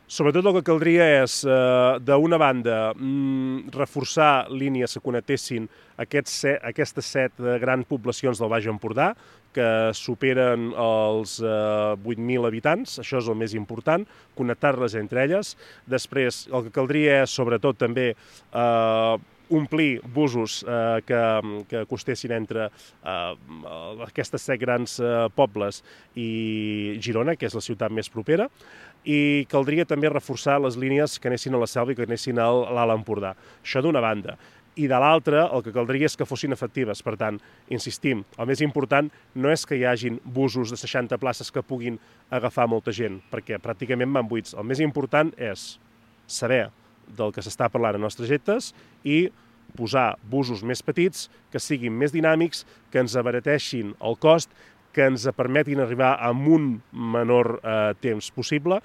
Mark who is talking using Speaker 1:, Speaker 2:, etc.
Speaker 1: Sobretot el que caldria és, d'una banda, reforçar línies que connectessin aquestes 7 grans poblacions del Baix Empordà, que superen els 8.000 habitants, això és el més important, connectar-les entre elles. Després, el que caldria és, sobretot, també omplir busos que costessin entre aquestes 7 grans pobles i Girona, que és la ciutat més propera, i caldria també reforçar les línies que anessin a la Selva i que anessin a l'Alt Empordà. Això d'una banda. I de l'altra, el que caldria és que fossin efectives. Per tant, insistim, el més important no és que hi hagin busos de 60 places que puguin agafar molta gent, perquè pràcticament van buits. El més important és saber del que s'està parlant a nostres trajectes i posar busos més petits, que siguin més dinàmics, que ens abarateixin el cost, que ens permetin arribar amb un menor temps possible,